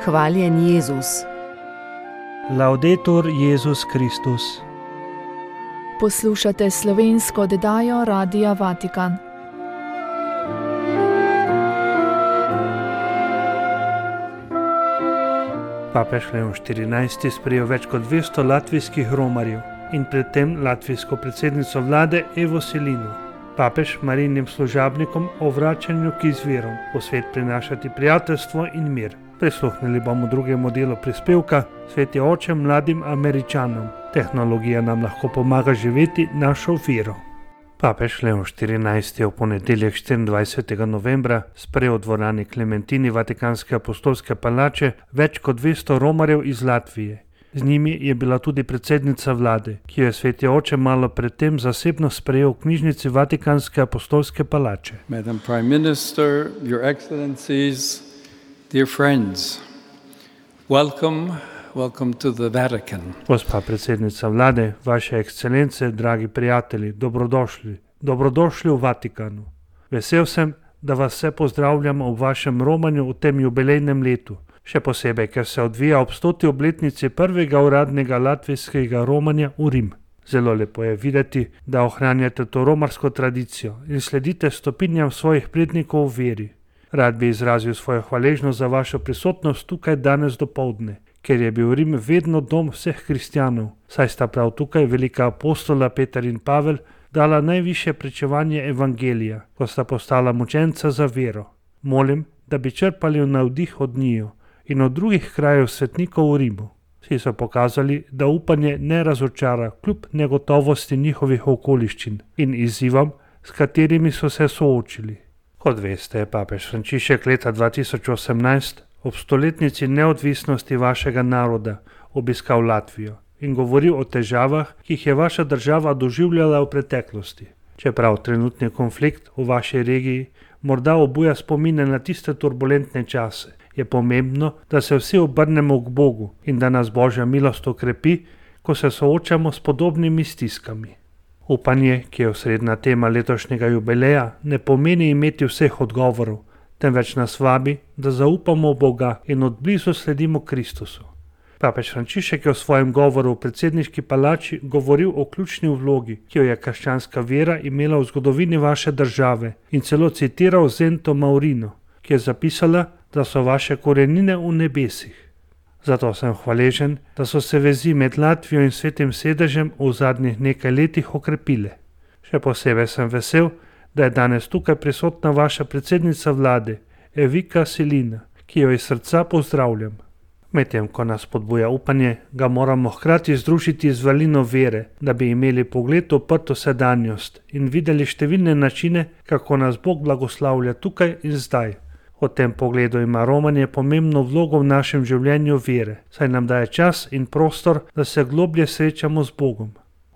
Hvaljen Jezus. Laudetur Jezus Kristus. Poslušate slovensko oddajo Radia Vatikan. Papež Leon XIV. Sprejel več kot 200 latvijskih romarjev in predtem latvijsko predsednico vlade Evo Selinu. Papež Marijnim služabnikom o vračanju k izvirom, v svet prinašati prijateljstvo in mir. Prisluhnili bomo drugemu delu prispevka Sveti oče mladim Američanom. Tehnologija nam lahko pomaga živeti našo vero. Papež Leon XIV. Je v ponedeljek 24. novembra sprejel v dvorani Klementini Vatikanske apostolske palače več kot 200 romarjev iz Latvije. Z njimi je bila tudi predsednica vlade, ki jo je sveti oče malo predtem zasebno sprejel v knjižnici Vatikanske apostolske palače. Madam Prime Minister, Your Excellencies, dear friends, welcome to the Vatican. Gospa predsednica vlade, vaše ekscelence, dragi prijatelji, dobrodošli v Vatikanu. Vesel sem, da vas vse pozdravljam ob vašem romanju v tem jubilejnem letu. Še posebej, ker se odvija ob 100. obletnici prvega uradnega latvijskega romanja v Rim. Zelo lepo je videti, da ohranjate to romarsko tradicijo in sledite stopinjam svojih prednikov v veri. Rad bi izrazil svojo hvaležnost za vašo prisotnost tukaj danes dopoldne, ker je bil Rim vedno dom vseh kristjanov, saj sta prav tukaj velika apostola Peter in Pavel dala najvišje pričevanje evangelija, ko sta postala mučenca za vero. Molim, da bi črpali navdih od njiju in od drugih krajev svetnikov v Rimu. Vsi so pokazali, da upanje ne razočara kljub negotovosti njihovih okoliščin in izzivom, s katerimi so se soočili. Kot veste, je papež Frančišek leta 2018 ob 100-letnici neodvisnosti vašega naroda obiskal Latvijo in govoril o težavah, ki jih je vaša država doživljala v preteklosti. Čeprav trenutni konflikt v vaši regiji morda obuja spomine na tiste turbulentne čase, je pomembno, da se vsi obrnemo k Bogu in da nas Božja milost okrepi, ko se soočamo s podobnimi stiskami. Upanje, ki je osrednja tema letošnjega jubileja, ne pomeni imeti vseh odgovorov, temveč nas vabi, da zaupamo v Boga in od blizu sledimo Kristusu. Papež Frančišek je v svojem govoru v predsedniški palači govoril o ključni vlogi, ki jo je krščanska vera imela v zgodovini vaše države in celo citiral Zento Maurino, ki je zapisala, da so vaše korenine v nebesih. Zato sem hvaležen, da so se vezi med Latvijo in Svetim sedežem v zadnjih nekaj letih okrepile. Še posebej sem vesel, da je danes tukaj prisotna vaša predsednica vlade, Evika Selina, ki jo iz srca pozdravljam. Medtem, ko nas spodbuja upanje, ga moramo hkrati združiti z valino vere, da bi imeli pogled oprto sedanjost in videli številne načine, kako nas Bog blagoslavlja tukaj in zdaj. V tem pogledu ima romanje pomembno vlogo v našem življenju vere, saj nam daje čas in prostor, da se globlje srečamo z Bogom.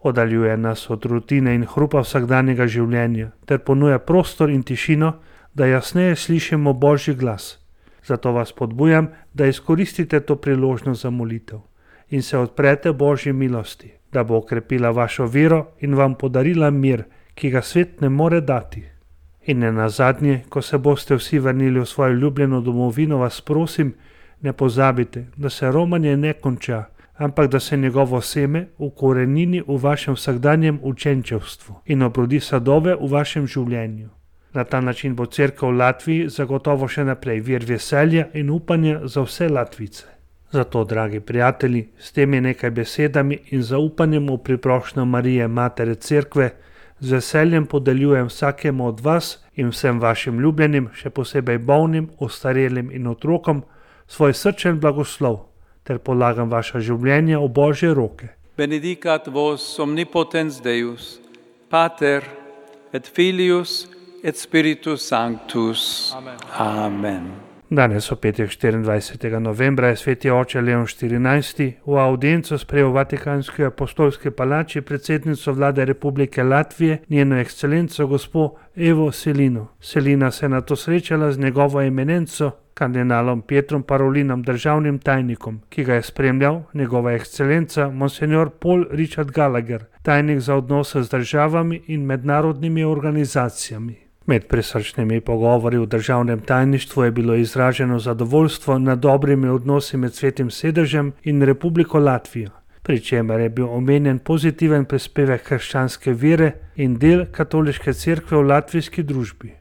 Oddaljuje nas od rutine in hrupa vsakdanjega življenja ter ponuja prostor in tišino, da jasneje slišimo Božji glas. Zato vas podbujam, da izkoristite to priložnost za molitev in se odprete Božji milosti, da bo okrepila vašo vero in vam podarila mir, ki ga svet ne more dati. In ne nazadnje, ko se boste vsi vrnili v svojo ljubljeno domovino, vas prosim, ne pozabite, da se romanje ne konča, ampak da se njegovo seme ukorenini v vašem vsakdanjem učenčevstvu in obrodi sadove v vašem življenju. Na ta način bo cerkev v Latviji zagotovo še naprej vir veselja in upanja za vse Latvice. Zato, dragi prijatelji, s temi nekaj besedami in zaupanjem v priprošnjo Marije, Matere Cerkve, z veseljem podeljujem vsakemu od vas in vsem vašim ljubljenim, še posebej bolnim, ostarelim in otrokom, svoj srčen blagoslov, ter polagam vaša življenja v Božje roke. Benedicat vos omnipotens Deus, Pater et Filius et Spiritus Sanctus. Amen. Danes v petek 24. novembra je sveti oče Leon XIV. V audienco sprejel v Vatikanski apostolski palači predsednico vlade Republike Latvije, njeno ekscelenco gospo Evo Selino. Selina se je nato srečala z njegovo eminenco, kardinalom Pietrom Parolinom, državnim tajnikom, ki ga je spremljal njegova ekscelenca Monsignor Paul Richard Gallagher, tajnik za odnose z državami in mednarodnimi organizacijami. Med prisrčnimi pogovori v državnem tajništvu je bilo izraženo zadovoljstvo nad dobrimi odnosi med Svetim sedežem in Republiko Latvijo, pri čemer je bil omenjen pozitiven prispevek krščanske vere in del katoliške cerkve v latvijski družbi.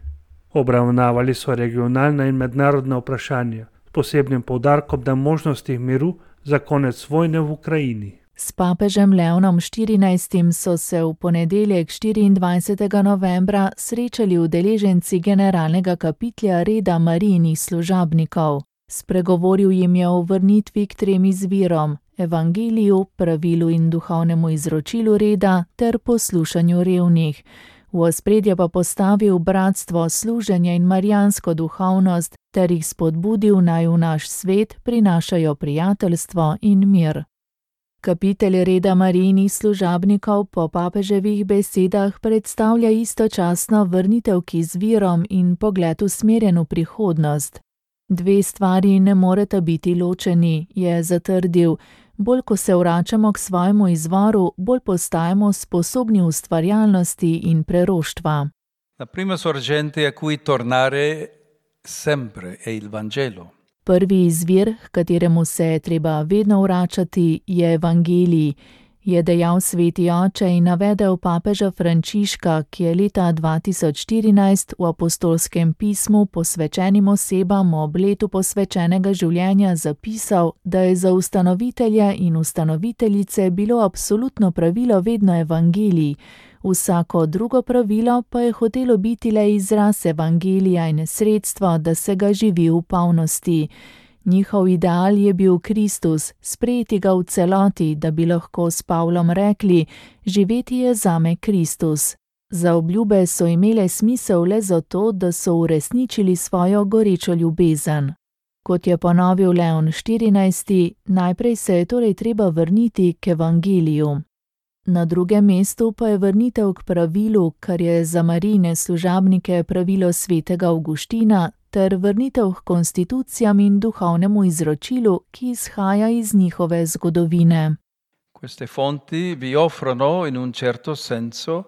Obravnavali so regionalna in mednarodna vprašanja, s posebnim poudarkom na možnostih miru za konec vojne v Ukrajini. S papežem Leonom XIV so se v ponedeljek 24. novembra srečali udeleženci generalnega kapitlja reda Marijinih služabnikov. Spregovoril jim je o vrnitvi k 3 izvirom: evangeliju, pravilu in duhovnemu izročilu reda ter poslušanju revnih. V ospredje pa postavil bratstvo, služenje in marijansko duhovnost ter jih spodbudil, naj v naš svet prinašajo prijateljstvo in mir. Kapitelj reda Marijinih služabnikov po papeževih besedah predstavlja istočasno vrnitev k izvirom in pogled usmerjen v prihodnost. 2 stvari ne moreta biti ločeni, je zatrdil. Bolj ko se vračamo k svojemu izvoru, bolj postajamo sposobni ustvarjalnosti in preroštva. La prima sorgente a cui tornare sempre è il Vangelo. Prvi izvir, h kateremu se je treba vedno vračati, je evangelij, je dejal sveti oče in navedel papeža Frančiška, ki je leta 2014 v apostolskem pismu posvečenim osebam ob letu posvečenega življenja zapisal, da je za ustanovitelje in ustanoviteljice bilo absolutno pravilo vedno evangelij, vsako drugo pravilo pa je hotelo biti le izraz evangelija in sredstvo, da se ga živi v polnosti. Njihov ideal je bil Kristus, sprejeti ga v celoti, da bi lahko s Pavlom rekli: živeti je zame Kristus. Za obljube so imele smisel le zato, da so uresničili svojo gorečo ljubezen. Kot je ponovil Leon XIV, najprej se je torej treba vrniti k evangeliju. Na drugem mestu pa je vrnitev k pravilu, kar je za Marijine služabnike pravilo svetega Avguština, ter vrnitev k konstitucijam in duhovnemu izročilu, ki izhaja iz njihove zgodovine. Queste fonti vi offrono in un certo senso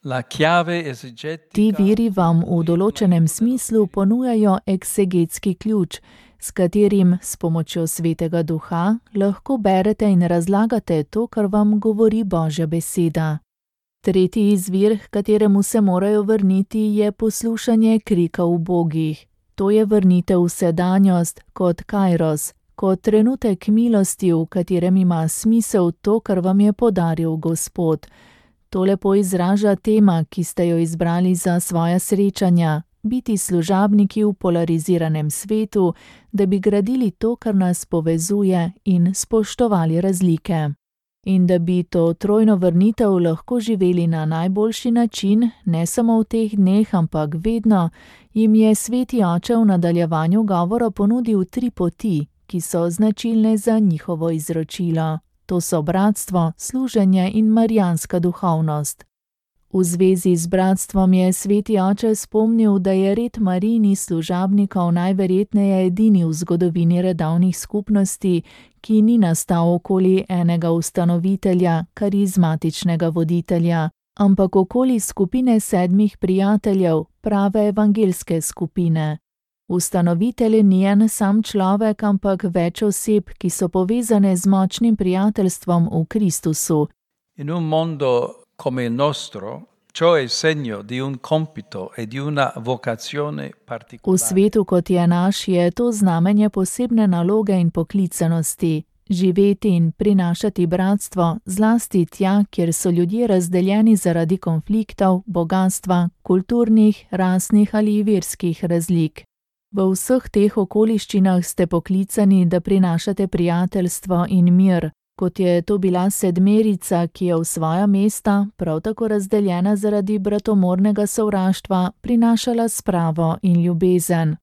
la chiave esegetica. Ti viri vam v določenem smislu ponujajo eksegetski ključ, s katerim s pomočjo Svetega Duha lahko berete in razlagate to, kar vam govori Božja beseda. Tretji izvir, h kateremu se morajo vrniti, je poslušanje krika ubogih. To je vrnitev v sedanjost kot kairos, kot trenutek milosti, v katerem ima smisel to, kar vam je podaril Gospod. To lepo izraža tema, ki ste jo izbrali za svoja srečanja, biti služabniki v polariziranem svetu, da bi gradili to, kar nas povezuje, in spoštovali razlike. In da bi to trojno vrnitev lahko živeli na najboljši način, ne samo v teh dneh, ampak vedno, jim je sveti oče v nadaljevanju govora ponudil 3 poti, ki so značilne za njihovo izročilo. To so bratstvo, služenje in marijanska duhovnost. V zvezi z bratstvom je sveti oče spomnil, da je red Marijinih služabnikov najverjetneje edini v zgodovini redovnih skupnosti, ki ni nastal okoli enega ustanovitelja, karizmatičnega voditelja, ampak okoli skupine 7 prijateljev, prave evangelske skupine. Ustanovitelj ni en sam človek, ampak več oseb, ki so povezane z močnim prijateljstvom v Kristusu. In un mondo come il nostro, ciò è segno di un compito e di una vocazione particolare. V svetu, kot je naš, je to znamenje posebne naloge in poklicanosti. Živeti in prinašati bratstvo, zlasti tja, kjer so ljudje razdeljeni zaradi konfliktov, bogatstva, kulturnih, rasnih ali verskih razlik. V vseh teh okoliščinah ste poklicani, da prinašate prijateljstvo in mir, kot je to bila 7, ki je v svoja mesta, prav tako razdeljena zaradi bratomornega sovraštva, prinašala spravo in ljubezen.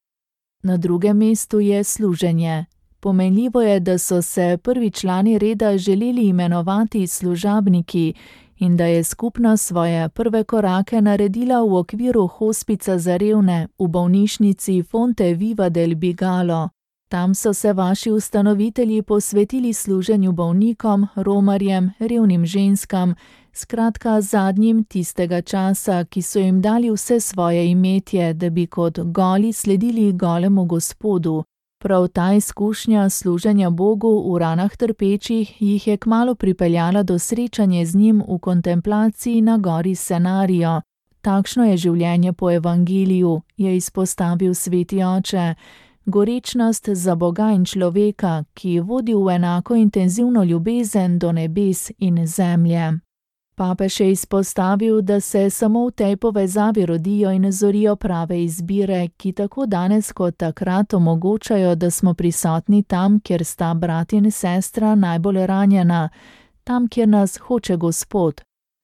Na drugem mestu je služenje. Pomenljivo je, da so se prvi člani reda želeli imenovati služabniki in da je skupnost svoje prve korake naredila v okviru hospica za revne v bolnišnici Fonte Viva del Bigalo. Tam so se vaši ustanovitelji posvetili služenju bolnikom, romarjem, revnim ženskam, skratka zadnjim tistega časa, ki so jim dali vse svoje imetje, da bi kot goli sledili golemu Gospodu. Prav ta izkušnja služenja Bogu v ranah trpečih jih je kmalu pripeljala do srečanja z njim v kontemplaciji na gori Scenarijo. Takšno je življenje po evangeliju, je izpostavil sveti oče. Gorečnost za Boga in človeka, ki vodi v enako intenzivno ljubezen do nebes in zemlje. Papež je izpostavil, da se samo v tej povezavi rodijo in zorijo prave izbire, ki tako danes kot takrat omogočajo, da smo prisotni tam, kjer sta brat in sestra najbolj ranjena, tam, kjer nas hoče Gospod.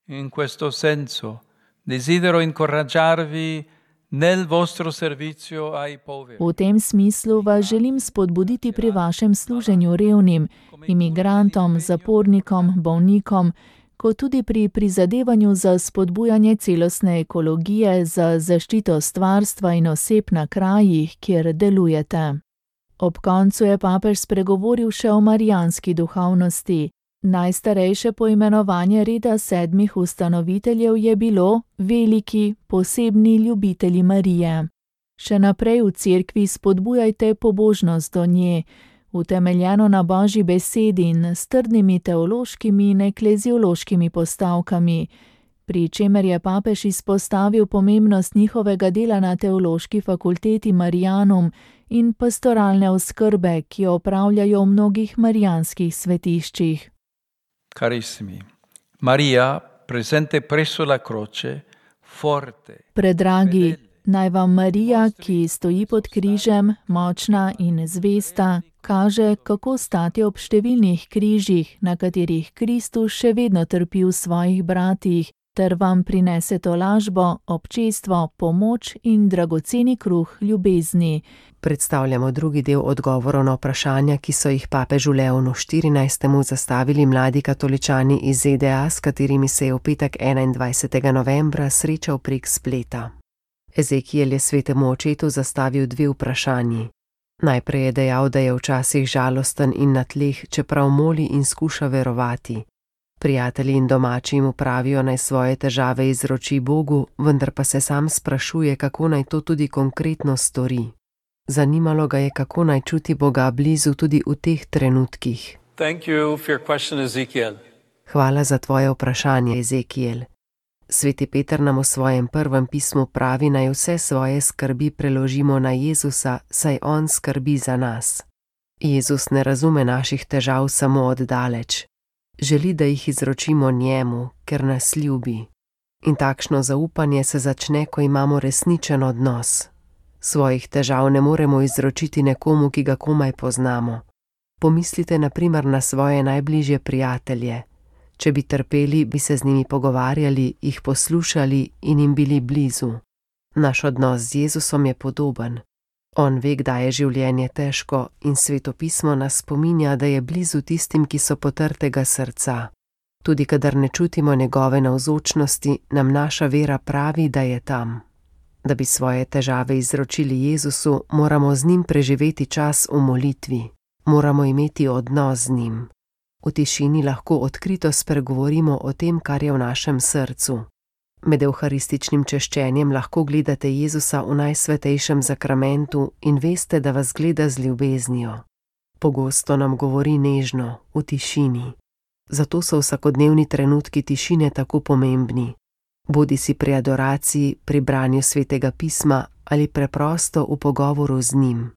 In questo senso desidero incoraggiarvi nel vostro servizio ai poveri. V tem smislu vas želim spodbuditi pri vašem služenju revnim, imigrantom, zapornikom, bolnikom, kot tudi pri prizadevanju za spodbujanje celostne ekologije, za zaščito stvarstva in oseb na krajih, kjer delujete. Ob koncu je papež spregovoril še o marijanski duhovnosti. Najstarejše poimenovanje reda 7 ustanoviteljev je bilo veliki, posebni ljubitelji Marije. Še naprej v cerkvi spodbujajte pobožnost do nje, utemeljeno na Božji besedi in s trdnimi teološkimi in ekleziološkimi postavkami, pri čemer je papež izpostavil pomembnost njihovega dela na teološki fakulteti Marianum in pastoralne oskrbe, ki jo opravljajo v mnogih marijanskih svetiščih. Carissimi, Maria, presente presso la croce, forte. Predragi, naj vam Marija, ki stoji pod križem, močna in zvesta, kaže, kako stati ob številnih križih, na katerih Kristus še vedno trpi v svojih bratih, ter vam prinese tolažbo, občestvo, pomoč in dragoceni kruh ljubezni. Predstavljamo drugi del odgovorov na vprašanja, ki so jih papežu Leonu 14. zastavili mladi katoličani iz ZDA, s katerimi se je v petek 21. novembra srečal prek spleta. Ezekiel je svetemu očetu zastavil 2 vprašanji. Najprej je dejal, da je včasih žalosten in na tleh, čeprav moli in skuša verovati. Prijatelji in domači mu pravijo, naj svoje težave izroči Bogu, vendar pa se sam sprašuje, kako naj to tudi konkretno stori. Zanimalo ga je, kako naj čuti Boga blizu tudi v teh trenutkih. Thank you for your question, Ezekiel. Hvala za tvoje vprašanje, Ezekiel. Sveti Peter nam v svojem prvem pismu pravi, naj vse svoje skrbi preložimo na Jezusa, saj on skrbi za nas. Jezus ne razume naših težav samo od daleč. Želi, da jih izročimo njemu, ker nas ljubi. In takšno zaupanje se začne, ko imamo resničen odnos. Svojih težav ne moremo izročiti nekomu, ki ga komaj poznamo. Pomislite na primer na svoje najbližje prijatelje. Če bi trpeli, bi se z njimi pogovarjali, jih poslušali in jim bili blizu. Naš odnos z Jezusom je podoben. On ve, kdaj je življenje težko in Sveto pismo nas spominja, da je blizu tistim, ki so potrtega srca. Tudi kadar ne čutimo njegove navzočnosti, nam naša vera pravi, da je tam. Da bi svoje težave izročili Jezusu, moramo z njim preživeti čas v molitvi. Moramo imeti odnos z njim. V tišini lahko odkrito spregovorimo o tem, kar je v našem srcu. Med evharističnim češčenjem lahko gledate Jezusa v najsvetejšem zakramentu in veste, da vas gleda z ljubeznijo. Pogosto nam govori nežno, v tišini. Zato so vsakodnevni trenutki tišine tako pomembni. Bodi si pri adoraciji, pri branju svetega pisma ali preprosto v pogovoru z njim.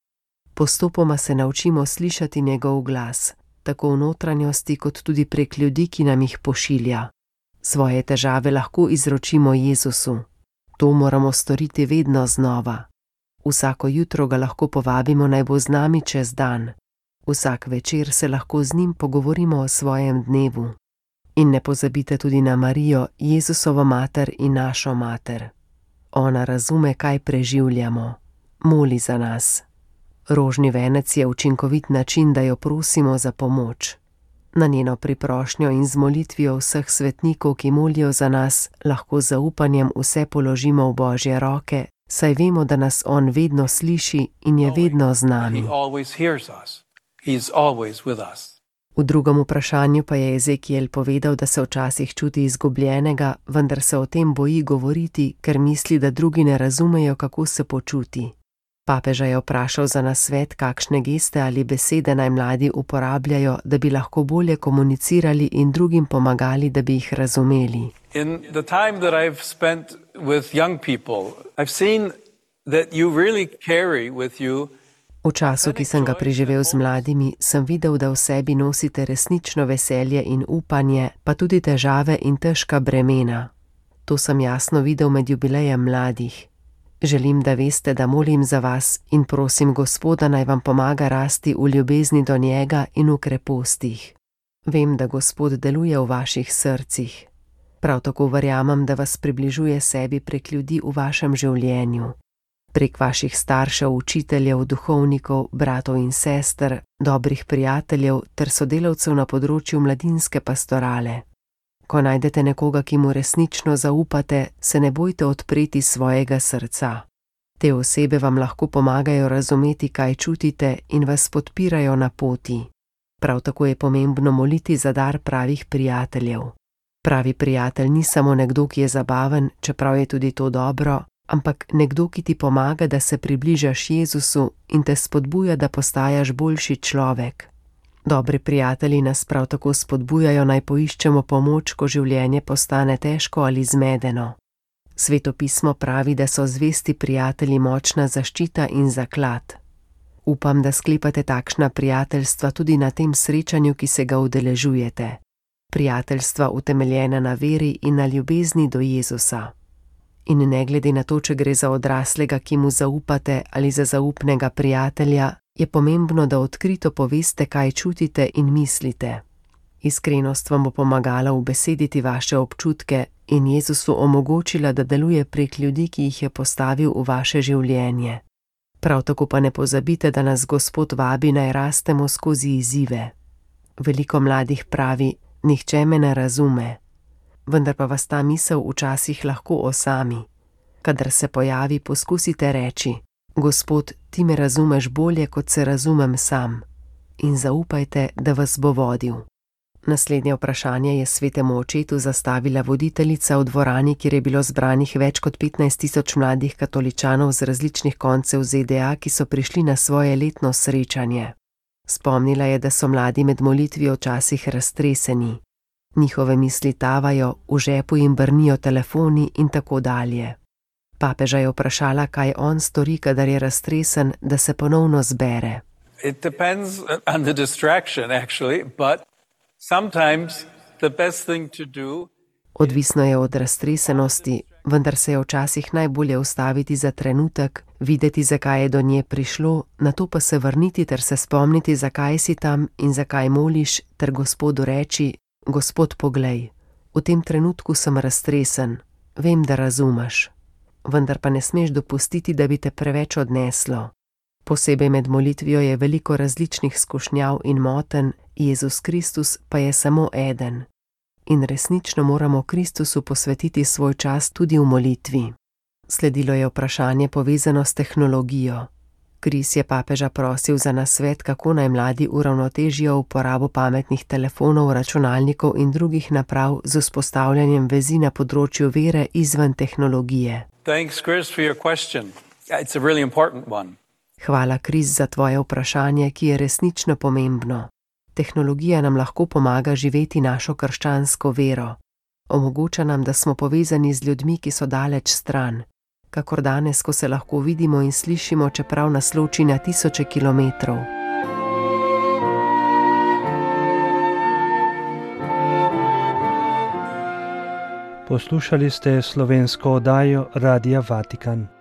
Postopoma se naučimo slišati njegov glas, tako v notranjosti kot tudi prek ljudi, ki nam jih pošilja. Svoje težave lahko izročimo Jezusu. To moramo storiti vedno znova. Vsako jutro ga lahko povabimo, naj bo z nami čez dan. Vsak večer se lahko z njim pogovorimo o svojem dnevu. In ne pozabite tudi na Marijo, Jezusovo mater in našo mater. Ona razume, kaj preživljamo. Moli za nas. Rožni venec je učinkovit način, da jo prosimo za pomoč. Na njeno priprošnjo in z molitvijo vseh svetnikov, ki molijo za nas, lahko z zaupanjem vse položimo v Božje roke, saj vemo, da nas on vedno sliši in je vedno z nami. V drugem vprašanju pa je Ezekiel povedal, da se včasih čuti izgubljenega, vendar se o tem boji govoriti, ker misli, da drugi ne razumejo, kako se počuti. Papeža je vprašal za nasvet, kakšne geste ali besede naj mladi uporabljajo, da bi lahko bolje komunicirali in drugim pomagali, da bi jih razumeli. In the time that I've spent with young people, I've seen that you really carry with you. V času, ki sem ga preživel z mladimi, sem videl, da v sebi nosite resnično veselje in upanje, pa tudi težave in težka bremena. To sem jasno videl med jubilejem mladih. Želim, da veste, da molim za vas in prosim Gospoda, naj vam pomaga rasti v ljubezni do njega in v krepostih. Vem, da Gospod deluje v vaših srcih. Prav tako verjamem, da vas približuje sebi prek ljudi v vašem življenju. Prek vaših staršev, učiteljev, duhovnikov, bratov in sester, dobrih prijateljev ter sodelavcev na področju mladinske pastorale. Ko najdete nekoga, ki mu resnično zaupate, se ne bojte odpreti svojega srca. Te osebe vam lahko pomagajo razumeti, kaj čutite in vas podpirajo na poti. Prav tako je pomembno moliti za dar pravih prijateljev. Pravi prijatelj ni samo nekdo, ki je zabaven, čeprav je tudi to dobro, ampak nekdo, ki ti pomaga, da se približaš Jezusu in te spodbuja, da postajaš boljši človek. Dobri prijatelji nas prav tako spodbujajo, naj poiščemo pomoč, ko življenje postane težko ali zmedeno. Sveto pismo pravi, da so zvesti prijatelji močna zaščita in zaklad. Upam, da sklepate takšna prijateljstva tudi na tem srečanju, ki se ga udeležujete. Prijateljstva utemeljena na veri in na ljubezni do Jezusa. In ne glede na to, če gre za odraslega, ki mu zaupate, ali za zaupnega prijatelja, je pomembno, da odkrito poveste, kaj čutite in mislite. Iskrenost vam bo pomagala ubesediti vaše občutke in Jezusu omogočila, da deluje prek ljudi, ki jih je postavil v vaše življenje. Prav tako pa ne pozabite, da nas Gospod vabi, naj rastemo skozi izzive. Veliko mladih pravi, nihče me ne razume. Vendar pa vas ta misel včasih lahko osami. Kadar se pojavi, poskusite reči: Gospod, ti me razumeš bolje, kot se razumem sam. In zaupajte, da vas bo vodil. Naslednje vprašanje je svetemu očetu zastavila voditeljica v dvorani, kjer je bilo zbranih več kot 15.000 mladih katoličanov z različnih koncev ZDA, ki so prišli na svoje letno srečanje. Spomnila je, da so mladi med molitvijo včasih raztreseni. Njihove misli tavajo, v žepu jim brnijo telefoni in tako dalje. Papeža je vprašala, kaj on stori, kadar je raztresen, da se ponovno zbere. It depends on the distraction, actually, but sometimes the best thing to do. Odvisno je od raztresenosti, vendar se je včasih najbolje ustaviti za trenutek, videti, zakaj je do nje prišlo, nato pa se vrniti ter se spomniti, zakaj si tam in zakaj moliš, ter Gospodu reči: Gospod, poglej, v tem trenutku sem raztresen, vem, da razumeš. Vendar pa ne smeš dopustiti, da bi te preveč odneslo. Posebej med molitvijo je veliko različnih skušnjav in motenj, Jezus Kristus pa je samo eden. In resnično moramo Kristusu posvetiti svoj čas tudi v molitvi. Sledilo je vprašanje povezano s tehnologijo. Kris je papeža prosil za nasvet, kako naj mladi uravnotežijo uporabo pametnih telefonov, računalnikov in drugih naprav z vzpostavljanjem vezi na področju vere izven tehnologije. Thanks, Chris, for your question. It's a really important one. Hvala, Kris, za tvoje vprašanje, ki je resnično pomembno. Tehnologija nam lahko pomaga živeti našo krščansko vero. Omogoča nam, da smo povezani z ljudmi, ki so daleč stran. Kakor danes, ko se lahko vidimo in slišimo, čeprav nas loči na tisoče kilometrov. Poslušali ste slovensko oddajo Radia Vatikan.